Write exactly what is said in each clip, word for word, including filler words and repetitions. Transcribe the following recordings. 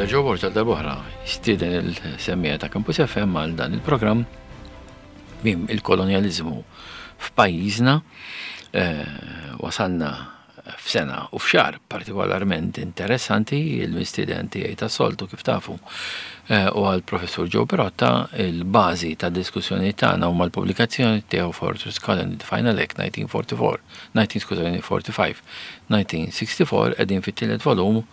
Mela Joe Borg darb'oħra jistieden il-semmiegħa ta' Campus F M għal dan il-programm mim il-kolonializmu f'pajjiżna. eh, wasalna f'sena u f'xahar partikolarment interessanti. Il-mistieden tiegħi tas-soltu, kif tafu, eh, u għal-professur Joe Pirotta. Il-bażi ta' diskussjoni tagħna huma l-pubblikazzjoni tiegħu Fortress Colony, The Final Act nineteen forty-four, nineteen forty-five, nineteen sixty-four. Qegħdin fit-tielet volum,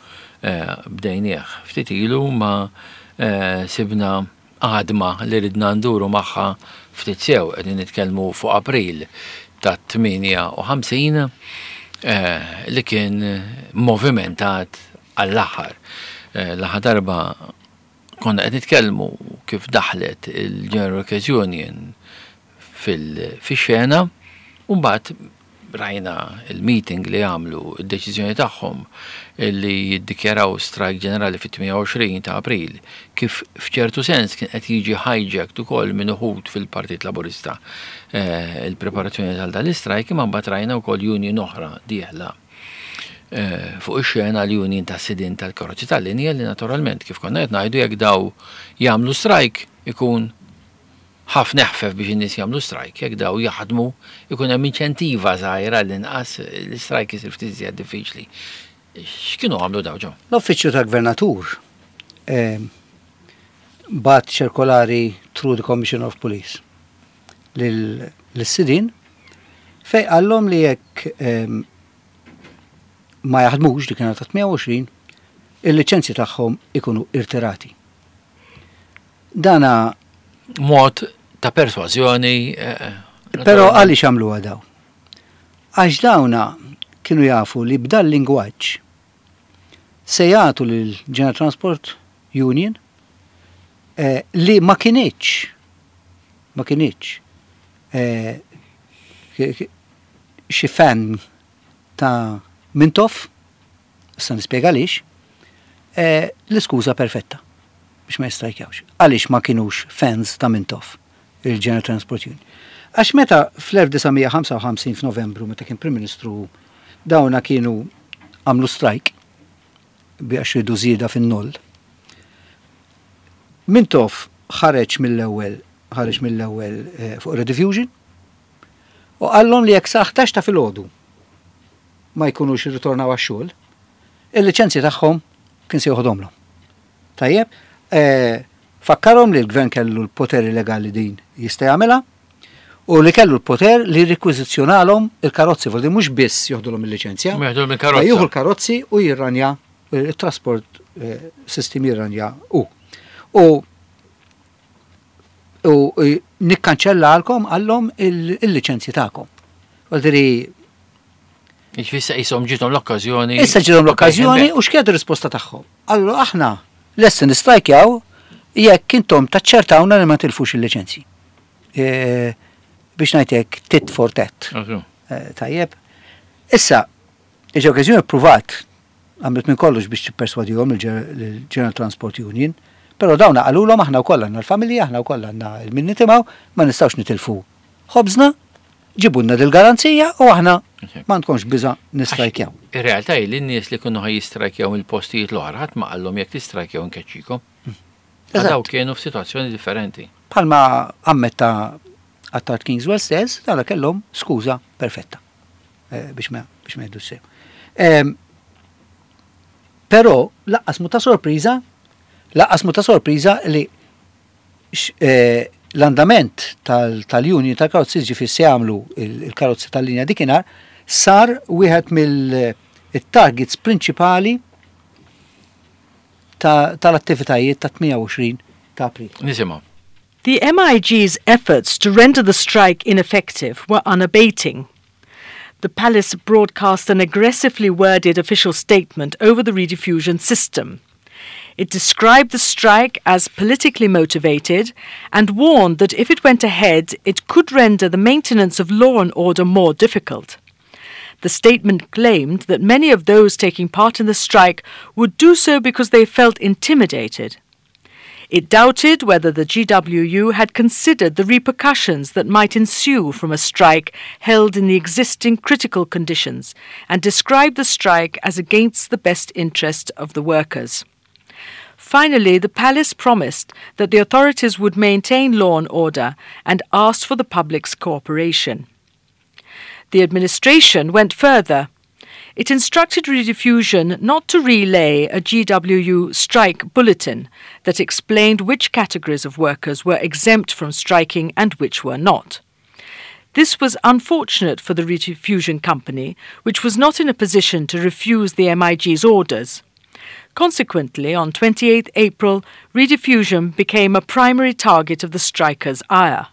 eh, bdejnieh ftit ilu ma eh, sibna għadma li ridna nduru magħha ftit sew. Qegħdin nitkellmu fuq April ta' tmienja u ħamsin eh, li kien movimentat għall-aħħar. L-aħħar darba konna qed nitkellmu kif daħlet il-General Workers Union fil-xena u mbagħad rajna il-meeting li għamlu, il-deċiżjoni tagħhom li jiddikjaraw strike ġenerali fit-tmienja u għoxrin ta' April, kif f'ċertu sens kien qed jiġi hijacked ukoll minn uħud fil-Partit Laburista eh, il-preparazzjoni tal dal-istrike, imma mbagħad rajna wkoll union oħra dieħla eh, fuq ix-xena, l-union ta' sidin tal-karozzi tal-linja, li naturalment, kif konna qed ngħidu, jekk daw jagħmlu strike ikun ħafna eħfef biex in-nies jagħmlu strike, jekk daw jaħdmu ikun hemm inċentiva żgħira, l-inqas l-strike isir ftit iżjed diffiċli. X'kienu għamlu daw, Joe? L-Uffiċċju tal-Gvernatur eh, bagħat ċirkolari through the Commissioner of Police lil-sidin fej qallhom li jekk eh, ma jaħdmux dik ta' tmienja u għoxrin, il-liċenzji tagħhom ikunu irtirati. Dana mod ta' persważjoni. eh, Però għaliex għamlu daw? Għax dawna kienu jafu li b'dal lingwaġġ se jagħtu lil General Transport Union, eh, li ma kinitx ma kinitx eh, xi fan ta' Mintoff, issa nispjega għaliex, eh, l-iskuża perfetta biex ma jistrajkjawx. Għaliex ma kienux fans ta' Mintoff, il-General Transport Union? Għax meta fl-elf disa' mija ħamsa u ħamsin f'Novembru, meta kien Prim Ministru, dawna kienu għamlu strike biex ridu żieda fin-noll. Mintoff ħareġ mill-ewwel ħareġ mill-ewwel eh, fuq Rediffusion u qallhom li jekk sa ħdax ta' filgħodu ma jkunux irritornaw għax-xogħol, il-liċenzji tagħhom kien se joħodhomlhom. Tajjeb, eh, fakkarhom li l-gvern kellu l-poteri legali din jista' jagħmilha u li kellu l-poter li jirrekwiżizzjonalhom il-karozzi, vuol mhux biss joħdulhom il-liċenzja, Ma joħdulhom il-karozza. Jieħu l-karozzi u jirranja il-trasport eh, system jirranja u. U u eh, nikkanċellalkom, qallhom, il-liċenzji tagħkom. Vuol dire Ġifissa jisom ġiethom l-okkażjoni. Issa ġiethom l-okkażjoni, u x'kienet ir-risposta tagħhom? Allora aħna lesti nistrajkjaw jekk intom taċċertawna li ma tilfux il-liċenzji. E, biex ngħidlek tit for tat. E, tajjeb. Issa, il-okkażjoni pruvat għamlet minn kollox biex tipperswadihom il-General Transport Union, però dawna qalulhom: aħna wkoll għandna l-familja, aħna wkoll għandna il-min nitimgħu, ma nistgħux nitilfu ħobżna, ġibulna dil-garanzija u aħna ma nkunx biża nistrajkjaw. Ir-realtà hi li n-nies li kienu ħa jistrajkjaw mill-postijiet l-oħra ħadd ma qallhom jekk tistrajkjaw nkeċċikom. Eżatt. Daw kienu f'sitwazzjoni differenti. Bħalma ammetta Attard Kingswell stess, dawna kellhom skuża perfetta eh, biex ma biex ma jgħidu sew. Em, Però lanqas mhu ta' sorpriża, lanqas mhu ta' sorpriża li x- eh, l-andament tal- tal-union tal-karozzi, ġifieri se jagħmlu il- il-karozzi tal-linja dikinhar, sar wieħed mill-targets prinċipali ta- tal-attivitajiet ta' tmienja u għoxrin ta' April. Nisimgħu. The M I G's efforts to render the strike ineffective were unabating. The palace broadcast an aggressively worded official statement over the rediffusion system. It described the strike as politically motivated and warned that if it went ahead, it could render the maintenance of law and order more difficult. The statement claimed that many of those taking part in the strike would do so because they felt intimidated. It doubted whether the G W U had considered the repercussions that might ensue from a strike held in the existing critical conditions and described the strike as against the best interest of the workers. Finally, the palace promised that the authorities would maintain law and order and asked for the public's cooperation. The administration went further. It instructed Rediffusion not to relay a G W U strike bulletin that explained which categories of workers were exempt from striking and which were not. This was unfortunate for the Rediffusion Company, which was not in a position to refuse the M I G's orders. Consequently, on twenty-eighth April, Rediffusion became a primary target of the strikers' ire.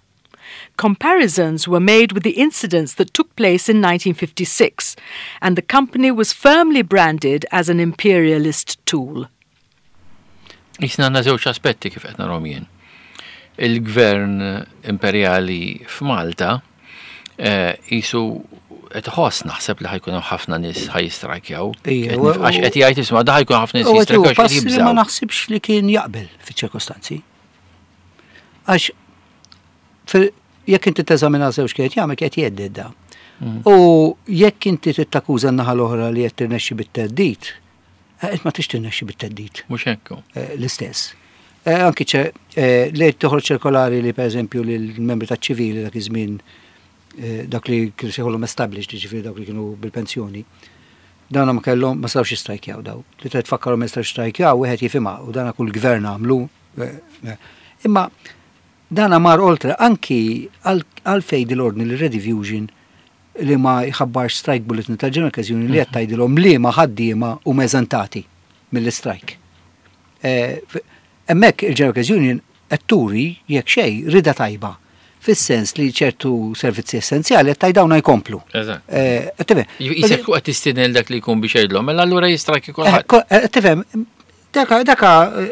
Comparisons were made with the incidents that took place in nineteen fifty-six, and the company was firmly branded as an imperialist tool. Issa għandna żewġ aspetti kif qed narahom jien. Il-gvern imperjali f'Malta eh, jisu qed iħoss, naħseb, li ħa jkun hemm ħafna nies ħa jistrajkjaw. Ija, Qed nif- Għax qed jgħid, isma', da ħa jkun ħafna nies U għetu, jistrajkjaw għax qed pass li ma jibżgħu. naħsibx li kien jaqbel fiċ-ċirkostanzi. Għax fil- jekk inti teżamina żewġ kienet jagħmel kienet jhedded da. Mm. U jekk inti tittakkuża n-naħa l-oħra li qed tirnexxi bit-theddid, eh, ma tix tirnexxi bit-theddid Mhux hekk. eh, l-istess. Eh, Anki ċe, eh, li toħroġ ċirkolari li, per eżempju, li l-membri ta' ċivili dak iż-żmien, eh, dak li kienu sejħulhom established, ġifieri dak li kienu bil-pensjoni, dawna ma kellhom, ma setgħux jistrajkjaw daw. Li trid tfakkarhom ma jistgħux jistrajkjaw, wieħed jifhimha u dana kull gvern għamlu. eh, eh. Imma dana mar oltre anki għal fejn l-ordni li Rediffusion li ma jħabbarx strike bulletin tal-General Union li qed tgħidilhom li ma ħaddiema u eżentati mill-strike. Eh, f- Hemmhekk il-General Union qed turi jekk xejn rida tajba fis-sens li ċertu servizzi essenzjali qed tgħid dawna jkomplu. Eżatt. Eh, qed tifhem? Jisek qed tistieden dak li jkun biex jgħidlhom, mela allura jistrajki Eh, kulħadd. ko- eh, Tifhem, daka daka eh,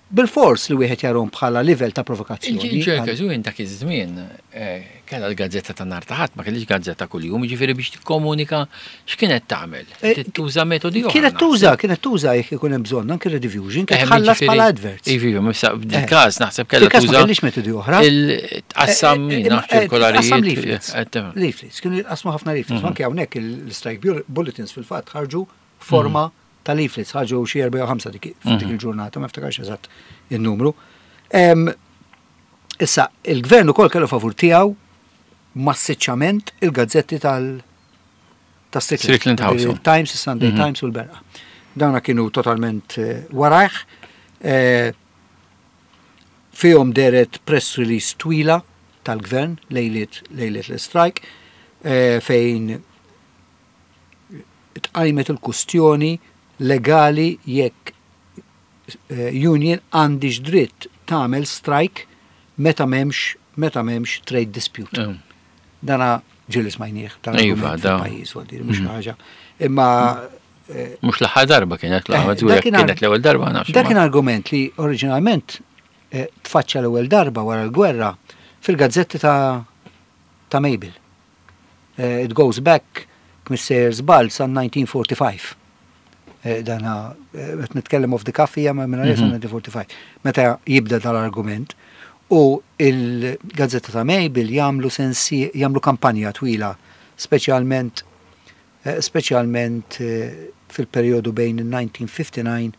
bil-fors li wieħed jarahom bħala livell ta' provokazzjoni. Il-ġerka dak iż-żmien eh, kellha l-gazzetta ta' nhar ta' Ħadd, ma kellix gazzetta kuljum, jiġifieri biex tikkomunika x'kienet tagħmel? Eh, Tuża metodi oħra. Kienet tuża, kienet tuża jekk ikun hemm bżonn anke Rediffusion, kienet tħallas bħala adverts. Iva, issa Eh. f'dil-każ naħseb kellha Fil-każ ma tuża. kellix metodi oħra. Il-tqassam Eh, eh, jien eh, ċirkolarijiet. Tqassam leaflets. Eh, tifhem. Leaflets, kienu jitqasmu ħafna leaflets. Anke hawnhekk il-strike bulletins fil-fatt ħarġu forma ta' leaflets, ħarġu xi erba' jew ħamsa dik dik il-ġurnata, ma ftakarx eżatt il-numru. Em, Issa, il-gvern ukoll kellu favur tiegħu massiċċament il-gazzetti tal ta' Strickland House. Il-Times, il-Sunday Times u l-Berqa. Dawna kienu totalment eh, warajh. Eh, Fihom dehret press release twila tal-gvern lejliet lejliet l-strike eh, fejn tqajmet il-kustjoni legali jekk eh, union għandix dritt tagħmel strike meta m'hemmx meta m'hemmx trade dispute. Mm. Dana ġieli smajnieh dan Iva, argument da. fil-pajjiż, għaldi, mhux ħaġa. Imma eh, Mhux l-aħħar darba kienet Eh, l-aħħar, dak kien kienet l-ewwel darba, nafx. Dak kien argument li oriġinalment eh, tfaċċa l-ewwel darba wara l-gwerra fil-gazzetti ta' ta' Mabel. Eh, It goes back, Mister żball, sa elf disa' mija u erbgħa u erbgħin. Eh, Dana, eh, qed nitkellem off the cuff hija ma minn għalija elf disa' mija u erbgħa u erbgħin. Meta jibda dal-argument u il-gazzetta ta' Mabel jagħmlu sensi, jagħmlu kampanja twila, speċjalment eh, speċjalment eh, fil-perjodu bejn il-elf disa' mija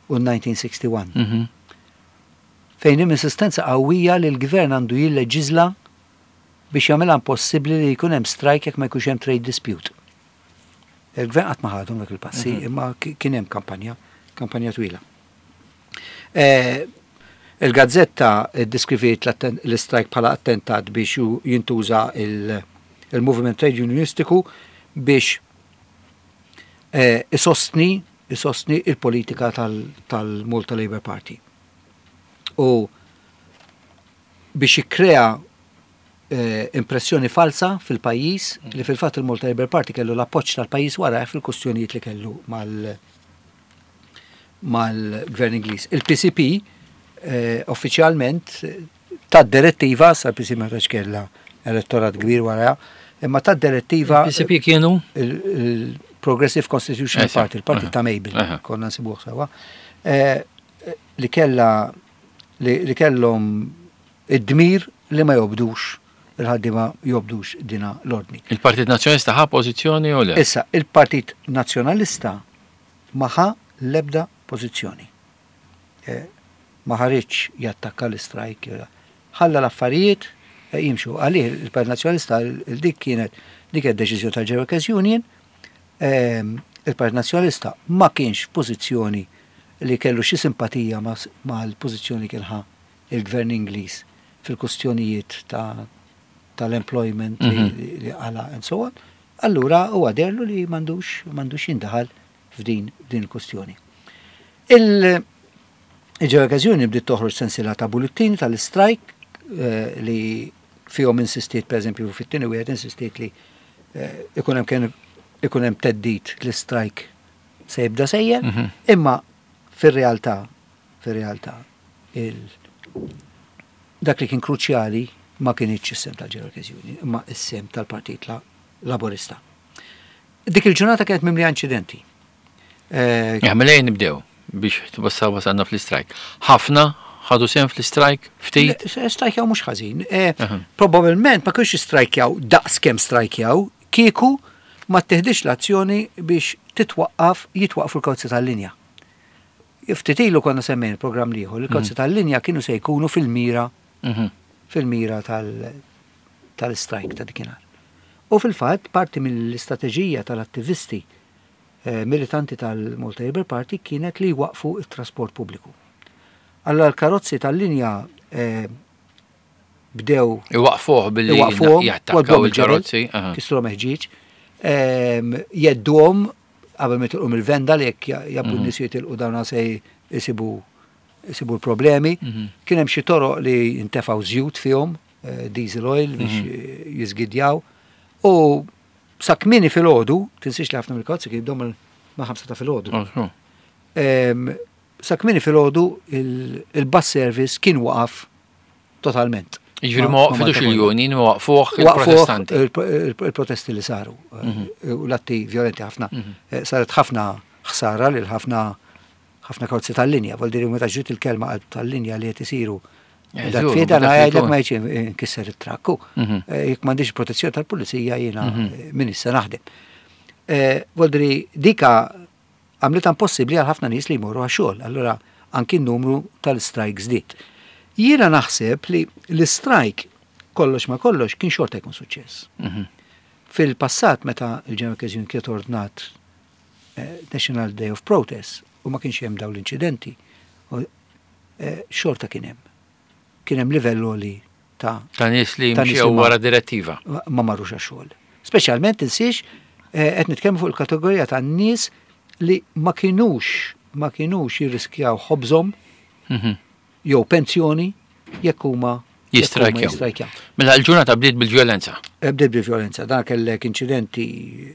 u ħamsa u disgħin u elf disa' mija u wieħed u sittin. Mhm. Fejn hemm insistenza qawwija li l-gvern għandu jilleġiżla biex jagħmilha impossibbli li jkun hemm strike jekk ma jkunx hemm trade dispute. Il-gvern qatt ma ħadhom dak il-passi, imma ki- kien hemm kampanja, kampanja twila. Eh, Il-gazzetta ddiskriviet l-strike bħala attentat biex ju- jintuża il- il-movement trade unionistiku biex eh, isostni isostni il-politika tal- tal-Malta Labour Party. U biex jikkrea eh, impressjoni falsa fil-pajjiż li fil-fatt il-Malta Labour Party kellu l-appoġġ tal-pajjiż wara fil-kustjonijiet li kellu mal- mal-gvern Ingliż. Il-P C P eh, uffiċjalment eh, ta' direttiva, sa P C P ma tax kella elettorat kbir wara, imma ta' direttiva P C P kienu? Il-Progressive Constitutional Esa, Party, il-partit aha, ta' Mabel, aha. konna nsibuh sewa, eh, li kella li, li kellhom id-dmir li ma jobdux il-ħaddiema, jobdux dina l-ordni. Il-Partit Nazzjonalista ħa pożizzjoni u le? Issa, il-Partit Nazzjonalista ma ħa l-ebda pożizzjoni. Eh, ma ħariġx jattakka l-istrajk, ħalla l-affarijiet eh, jimxu. Għalih il-Partit Nazzjonalista dik kienet dik id-deċiżjoni tal-General Workers Union, ehm, il-Partit Nazzjonalista ma kienx pożizzjoni li kellu xi simpatija mal-pożizzjoni kien ħa il-Gvern Ingliż fil-kustjonijiet ta' tal-employment li li għala and so on. Allura huwa deherlu li m'għandux m'għandux jindaħal f'din din il-kustjoni. Il-General Workers Union bdiet toħroġ sensiela ta' bullettini tal-strike eh, li fihom insistiet, per eżempju, fit-tieni wieħed insistiet li eh, ikun hemm kien ikun hemm theddid li strike se jibda sejjer, imma fir-realtà fir-realtà il dak li kien kruċjali ma kienx is-sehem tal-General Workers Union, imma is-sehem tal-Partit Laburista. Dik il-ġurnata kienet mimlija inċidenti. Eh, Ja, mela ejja nibdew biex tbassa wasalna fl-istrajk. Ħafna ħadu sehem fl-istrajk, ftit. Strajkjaw mhux ħażin. Eh, Aha. Probabilment ma kienx strajkjaw daqs kemm strajkjaw, kieku ma teħdix l-azzjoni biex titwaqqaf, jitwaqqfu l-karozzi tal-linja. Ftit ilu konna semmejn il-programm l-ieħor, il-karozzi tal-linja kienu se jkunu fil-mira Mhm. fil-mira tal- tal-strajk ta' dikinhar. U fil-fatt parti mill-istrateġija tal-attivisti eh, militanti tal-Malta Labour Party kienet li waqfu il-trasport pubbliku. Allora l-karozzi tal-linja eh, bdew Iwaqfuh billi iwaqfuhom, jattakkaw wadbuhom il-ġebel, il-karozzi. aha. kisru meħġiġ, ehm, jgħedduhom qabel ma jitilqu mill-venda li jekk jabbu n-nies jitilqu dawna se jisibu jisibu l-problemi. Kien hemm xi toroq li ntefgħu żjut fihom, eh, diesel oil biex eh, jiżgidjaw. U sa kmieni filgħodu, tinsiex li ħafna mill-karozzi kien jibdew ma' ħamsa ta' filgħodu. Oh, oh. Ehm, Sa kmieni filgħodu il-bus service kien waqaf totalment. Jiġifieri ma waqfitux ma- il-union, ma waqfuh Waqfuh il-protestanti. il- il-protesti li saru eh, u l-atti violenti ħafna. Eh, Saret ħafna ħsara lil ħafna ħafna karozzi tal-linja, vol diri meta ġiet il-kelma qalb tal-linja li qed isiru. Eh, Dak żgur, fiet dak għana li jgħidlek jkun. ma jiġi nkisser it-trakku. Mhm. Eh, Jekk m'għandix protezzjoni tal-pulizija jiena eh, min issa naħdem. Eh, Vol diri dika għamlet impossibbli għal ħafna nies li jmorru għax-xogħol. Allura anki n-numru tal-strike żdied. Jiena naħseb li l-strike kollox ma kollox kien xorta jkun suċċess. Mhm. Fil-passat meta il-General Workers Union kienet ordnat eh, National Day of Protest u ma kienx hemm dawn l-inċidenti, u, eh, xorta kien hemm. Kien hemm livell li ta' Ta' nies li Ta' nies li mxew ma- wara direttiva. ma marrux għax-xogħol. Speċjalment tinsiex eh, qed nitkellmu fuq il-kategorija ta' nies li ma kinux ma kinux jirriskjaw ħobżhom Mhm. jew pensjoni jekk huma jekk huma Jistrajkjaw. jistrajkjaw. Mela l-ġurnata bdiet bil-vjolenza. Eh, Bdiet bil-vjolenza, dan kellek inċidenti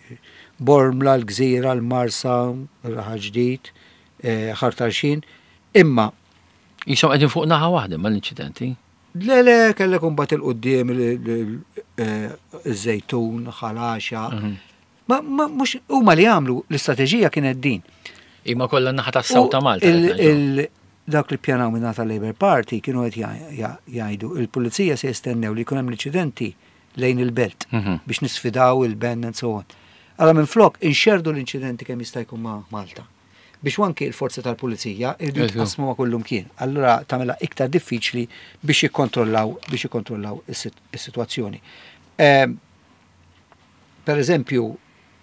Bormla, l-Gżira, l-Marsa, Raħal Ġdid, eh, Ħal Tarxien, imma Jisom qegħdin fuq naħa waħda mal-inċidenti. Le, le, kellek imbagħad 'il quddiem iż-Żejtun, Ħal Għaxaq. Ma, ma, mhux, huma li għamlu l-istrateġija kienet din. Imma kollha naħa tas-South ta' U Malta. il- qed ngħidu. il- Dak li pjanaw minn tal Labour Party kienu qed ja- ja- jgħidu il-pulizija se jistennew li jkun hemm l-inċidenti lejn il-belt Mhm. biex nisfidaw il-band and so on. Allora minn flok inxerdu l-inċidenti kemm jista' jkun ma' Malta. Biex anki il-forza tal-pulizija irridu Eżatt. jitqasmu ma' kullum kien. Allura tagħmilha iktar diffiċli biex jikkontrollaw biex jikkontrollaw is-sit- is-sitwazzjoni. Ehm, Per eżempju,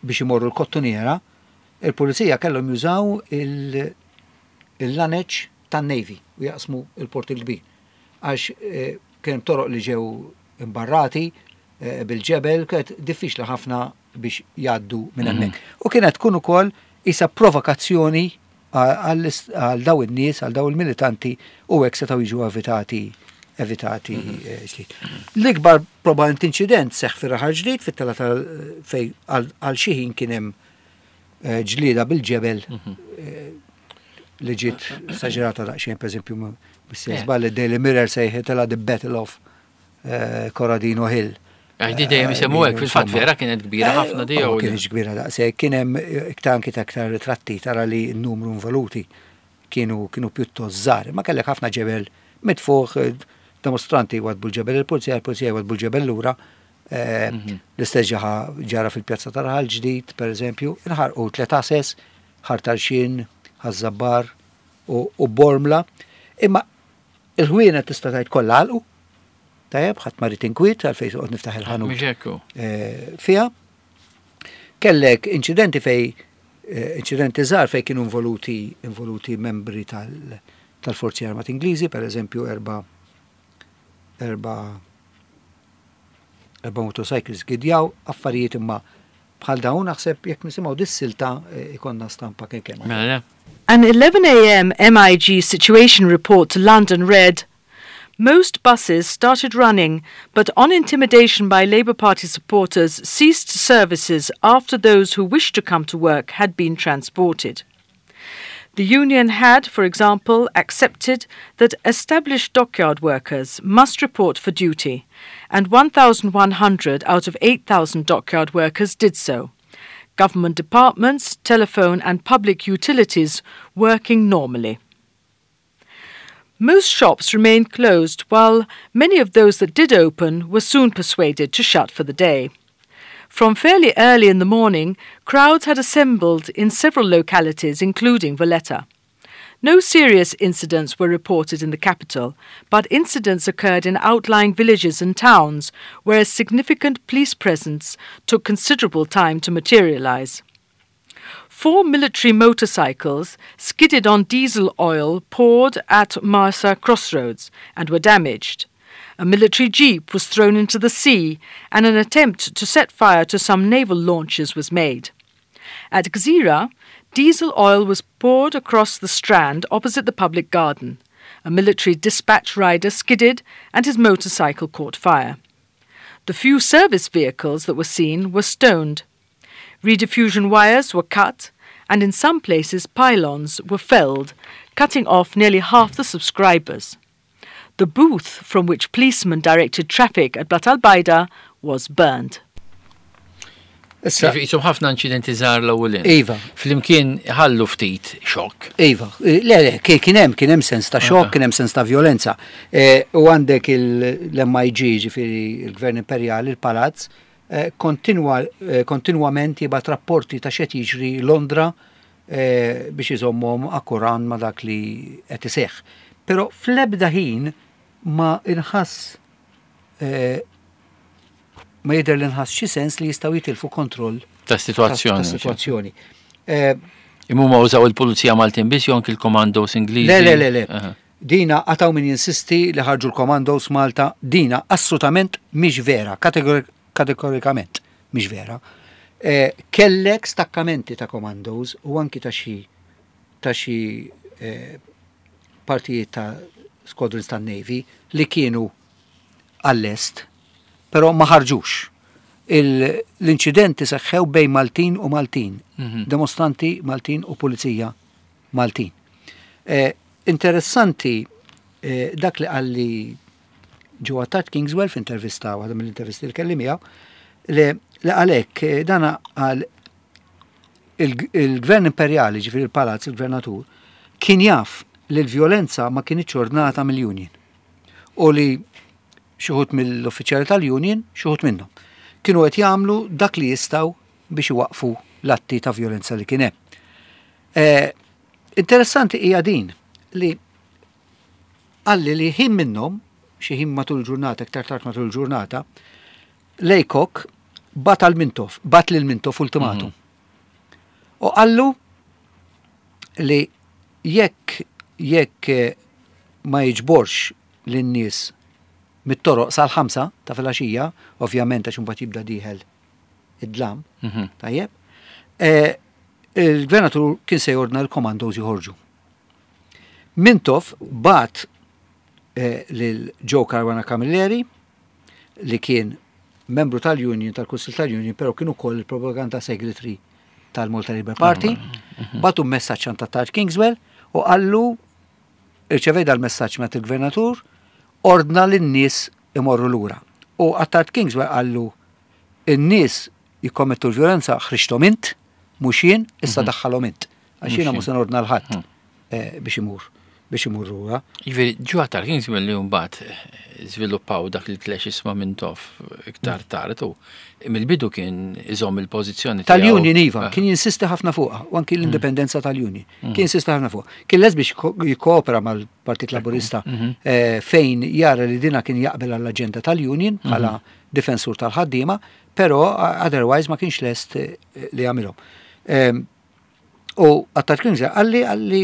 biex imorru l-Kottonera, il-pulizija kellhom jużaw il- il-laneċ tan-Navy u jaqsmu il-port il-kbir. Għax eh, kien hemm toroq li ġew imbarrati eh, bil-ġebel, kienet diffiċli ħafna biex jgħaddu minn hemmhekk. U kienet tkun ukoll isa provokazzjoni għal għal daw in-nies, għal daw il-militanti u hekk setgħu jiġu evitati evitati eh, ġlied. L-ikbar probablement inċident seħħ fir-Raħal Ġdid fit-tela tal fej għal għal xi ħin kien hemm eh, ġlieda bil-ġebel eh, li ġiet esaġerata daqsxejn, per eżempju, Eh. żball Daily Mirror sejħitilha The Battle of eh, Corradino Hill. Għax dejjem isemmu hekk, fil-fatt Insomma. vera kienet kbira Eh, ħafna di ma jew kienx kbira daqshekk, kien hemm eh, iktar anki ta' iktar ritratti tara li n-numru involuti kienu kienu pjuttost żgħar, ma kellek ħafna ġebel mitfuħ eh, dimostranti wadbu l-ġebel il-pulizija, il-pulizija wadbu l-ġebel lura. Eh, L-istess ġaħa ġara fil-pjazza ta' Raħal Ġdid, per eżempju, inħarqu tliet għases, Ħal Tarxien, Ħaż-Żabbar u Bormla. Imma il-ħwienet tista' tgħid kollha għalqu. Tajjeb, ħadd ma ried inkwiet għalfejn toqgħod niftaħ il-ħanut. Mhux hekk hu. Eh, Fiha. Kellek inċidenti fej eh, inċidenti żgħar fej kienu involuti involuti membri tal- tal-Forzi Armati Ingliżi, per eżempju erba erba erba motorcycles gidjaw, affarijiet imma bħal dawn naħseb jekk nisimgħu dis-silta eh, ikollna stampa kemm kemm. Mela le. An eleven a m. M I G situation report to London read, "Most buses started running, but on intimidation by Labour Party supporters ceased services after those who wished to come to work had been transported. The union had, for example, accepted that established dockyard workers must report for duty, and one thousand one hundred out of eight thousand dockyard workers did so. Government departments, telephone and public utilities working normally. Most shops remained closed, while many of those that did open were soon persuaded to shut for the day. From fairly early in the morning, crowds had assembled in several localities, including Valletta. No serious incidents were reported in the capital, but incidents occurred in outlying villages and towns where a significant police presence took considerable time to materialize. Four military motorcycles skidded on diesel oil poured at Marsa crossroads and were damaged. A military jeep was thrown into the sea, and an attempt to set fire to some naval launches was made. At Gzira, diesel oil was poured across the strand opposite the public garden. A military dispatch rider skidded and his motorcycle caught fire. The few service vehicles that were seen were stoned. Rediffusion wires were cut, and in some places pylons were felled, cutting off nearly half the subscribers. The booth from which policemen directed traffic at Blata l-Bajda was burned." Issa, Jisom ħafna inċidenti żgħar l-ewwel. Iva. Flimkien ħallu ftit xokk. Iva, le, le, kien hemm kien hemm sens ta' xokk, kien hemm sens ta' violenza. E, u għandek l-M I G, ġifieri il-Gvern Imperjali, il-Palazz, eh, kontinwa, eh, kontinwament jibgħat rapporti ta' x'qed jiġri Londra eh, biex iżommhom akkurat ma' dak li qed iseħħ. Però fl-ebda ħin ma inħass eh, ma jidher li nħass xi sens li jistgħu jitilfu kontroll ta' situazzjoni. Ta' situazzjoni. Eh, Imma ma użaw il-Pulizija Maltin biss jew anki l-Commandos Ingliżi? Le, le, le, le. Aha. Dina għataw min jinsisti li ħarġu l-Commandos Malta, dina assolutament mhix vera, kategori- kategorikament mhix vera. Eh, kellek stakkamenti ta' commandos u anki ta' xi ta' xi eh, partijiet ta' squadrons ta' Navy li kienu għall-est, però ma ħarġux. Il- L-inċidenti seħħew bejn Maltin u Maltin, Mhm. demonstranti Maltin u pulizija Maltin. Eh, interessanti eh, dak li qalli Joe Attard Kingswell f'intervista, waħda mill-intervisti li kelli miegħu, li li għalhekk eh, dana għal il- il-gvern imperjali, ġifieri il-palazz, il-gvernatur, kien jaf li l-violenza ma kienitx ordnata mill-union. U li xi wħud mill-uffiċjali tal-union, xi wħud minnhom, kienu qed jagħmlu dak li jistgħu biex iwaqfu l-atti ta' violenza li kien hemm. Eh, interessanti hija din li qalli li ħin minnhom, xi ħin matul ġurnata, iktar tard matul ġurnata, Laycock bagħat għal Mintoff, bagħat lil Mintoff ultimatum. U qallu li jekk jekk eh, ma jiġborx lin-nies mit-toroq sal-ħamsa ta' filgħaxija, ovvjament għax imbagħad jibda dieħel id-dlam, Mhm. tajjeb, eh, il-gvernatur kien se jordna l-commandos joħorġu. Mintoff bagħat eh, lil Joe Caruana Camilleri li kien membru tal-Union, tal-Kunsil tal-Union, pero kien ukoll il-propaganda secretary tal-Malta Labour Party, bagħtu messaġġ għand Attard Kingswell u qallu irċevej dal-messaġġ minn il-gvernatur, ordna lin-nies imorru lura. U Attard Kingswell qallu in-nies jikkommettu l-violenza ħriġthom int, mhux jien, issa daħħalhom int. Għax jiena mhux se nordna 'l ħadd eh, biex imur. biex imurruha. Jiġifieri, ġo Attard Kingsmill li mbagħad żviluppaw dak il-clashes ma' Mintoff iktar tard u mill-bidu kien iżomm il-pożizzjoni tal-Union, iva, kien jinsisti ħafna fuqha, u anki l-indipendenza tal-Union. Kien jinsisti ħafna fuqha. Kien lest biex jikkoopera mal-Partit Laburista eh, fejn jara li dina kien jaqbel għall-aġenda tal-Union bħala difensur tal-ħaddiema, però otherwise ma kienx lest eh, li jagħmilhom. Em, U Attard Kingsmill għalli għalli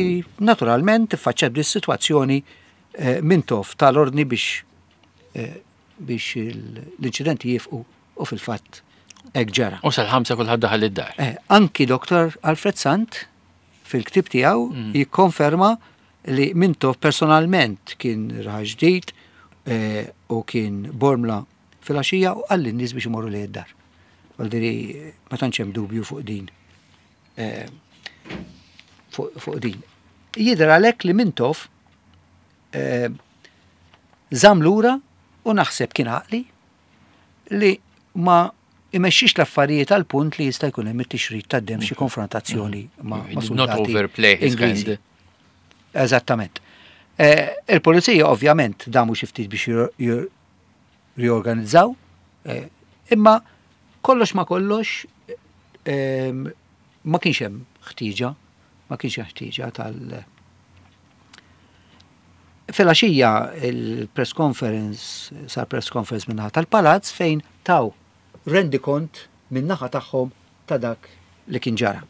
naturalment tiffaċċja dis-sitwazzjoni eh, Mintoff tal-ordni biex eh, biex l-inċidenti jieqfu u fil-fatt hekk ġara. U sal-ħamsa kulħadd daħal id-dar. Eh, anki Doktor Alfred Sant fil-ktib tiegħu mm. jikkonferma li Mintoff personalment kien raħal ġdid eh, u kien Bormla fil-għaxija u qal lin-nies biex imorru li id-dar. Għaldiri ma tantx hemm dubju fuq din. Eh, fuq fuq din. Jidher għalhekk li Mintoff eh, żamm lura u naħseb kien għaqli li ma imexxix l-affarijiet għal punt li jista' jkun hemm it-tixrid tad-dem, xi konfrontazzjoni ma' ma' Did not soldati overplay his Ingliżi. hand. Eżattament. Eh, Il-pulizija ovvjament damu xi ftit biex jir- jir- riorganizzaw, eh, imma kollox ma kollox ehm, ma kienx hemm ħtieġa, ma kienx hemm ħtieġa tal Filgħaxija il-press conference, sar press conference min-naħa tal-Palazz fejn taw rendikont min-naħa tagħhom ta' dak li kien ġara.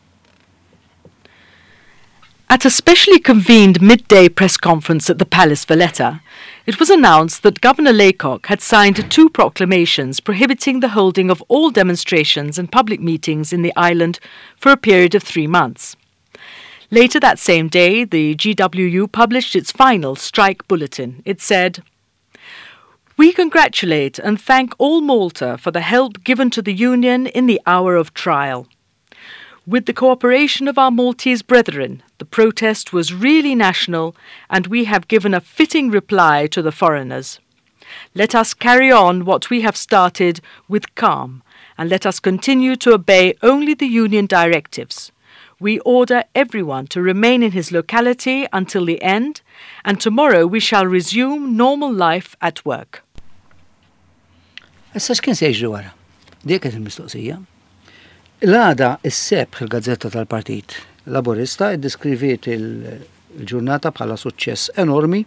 At a specially convened midday press conference at the Palace Valletta, it was announced that Governor Laycock had signed two proclamations prohibiting the holding of all demonstrations and public meetings in the island for a period of three months. Later that same day, the G W U published its final strike bulletin. It said, "We congratulate and thank all Malta for the help given to the Union in the hour of trial. With the cooperation of our Maltese brethren, the protest was really national and we have given a fitting reply to the foreigners. Let us carry on what we have started with calm and let us continue to obey only the union directives. We order everyone to remain in his locality until the end, and tomorrow we shall resume normal life at work." Issa x'kien se jiġri wara? Dik kienet il-mistoqsija. L-għada is-Sebħ, il-gazzetta tal-Partit Laburista, iddeskriviet il-ġurnata bħala suċċess enormi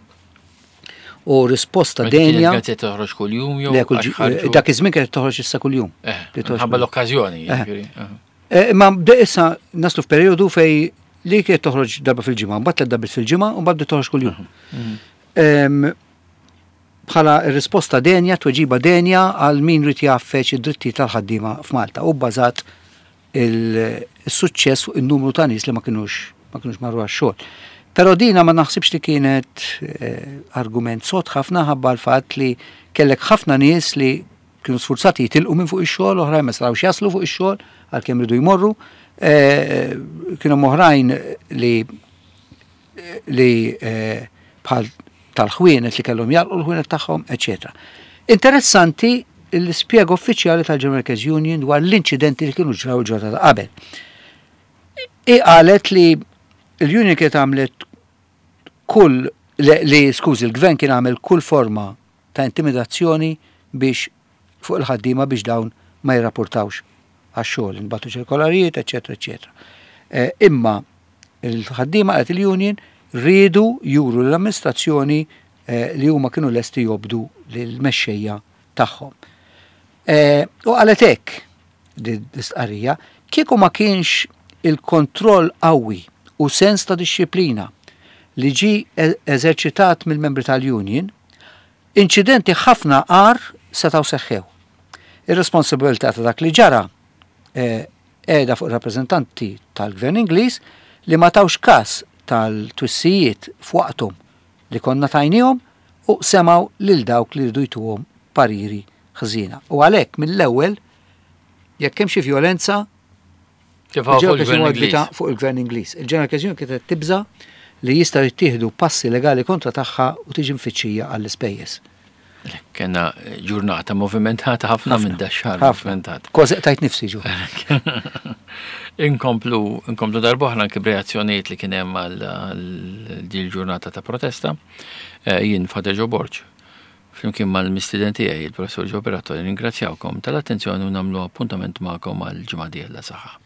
u risposta Ma kienet denja. Gazzetta toħroġ kuljum jew Le, kull għax ġi- ħarġu- Dak iż-żmien kienet toħroġ issa kuljum. Eh, Li toħroġ Ħabba kuljum. l-okkażjoni, Eh. jiġifieri. eh. Eh, Ma bde issa naslu f'perjodu fej li kienet toħroġ darba fil-ġimgħa, mbagħad tliet darbiet fil-ġimgħa u mbagħad bdiet toħroġ kuljum. Em, Bħala risposta denja, tweġiba denja għal min ried jgħaffeġ id-dritti tal-ħaddiema f'Malta u bbażat il-suċċess fuq il-numru ta' nies li ma kinux ma kinux marru għax-xogħol. Però dina ma naħsibx li kienet eh, argument sod ħafna ħabba l-fatt li kellek ħafna nies li kienu sfurzati jitilqu minn fuq ix-xogħol, oħrajn ma setgħux jaslu fuq ix-xogħol għalkemm ridu jmorru. Eh, kienu oħrajn li li eh, bħal tal-ħwienet li kellhom jagħlqu l-ħwienet tagħhom, eċetera. Interessanti l-ispjega uffiċjali tal-General Workers Union dwar l-inċidenti li kienu ġraw il-ġurnata ta' qabel. I qalet li l-union kienet għamlet kull li, li skużi, il-gvern kien għamel kull forma ta' intimidazzjoni biex fuq il-ħaddiema biex dawn ma jirrapportawx għax-xogħol, intbagħtu ċirkolarijiet, eċetera, eċetera. Eh, imma il-ħaddiema, qalet il-union, riedu juru l-amministrazzjoni eh, li huma kienu lesti jobdu lill-mexxejja tagħhom. Eh, U qalet hekk di l-istqarrija: "Kieku ma kienx il-kontroll qawwi u sens ta' disċiplina li ġi e- eżerċitat mill-membri tal-union, inċidenti ħafna agħar setgħu seħħew. Ir-responsabilità ta' dak li ġara eh, qiegħda fuq rappreżentanti tal-Gvern Ingliż li ma tawx kas tal-twissijiet f'waqthom li konna tajnihom u semgħu lil dawk li rridu jtuhom pariri ħżiena. U għalhekk mill-ewwel jekk hemm xi vjolenza Tefgħu fuq il-General il-Gvern Workers Ingliż. Fuq il-Gvern Ingliż. Il-General Workers Union kienet tibża li jistgħu jittieħdu passi legali kontra tagħha u tiġi mfittxija għall-ispejjeż. Kena ġurnata movimentata ħafna minn da xahar Ħafna. movimentata. Kważi tajt nifsi ġu. Inkomplu, inkomplu darb'oħra anke b'reazzjonijiet li kien hemm għal din ġurnata ta' protesta. Eh, jien Father Joe Borg, flimkien mal-mistieden tiegħi, il-Professor Joe Pirotta, ringrazzjawkom tal-attenzjoni u nagħmlu appuntament magħkom għal ġimgħa dieħla saħħa.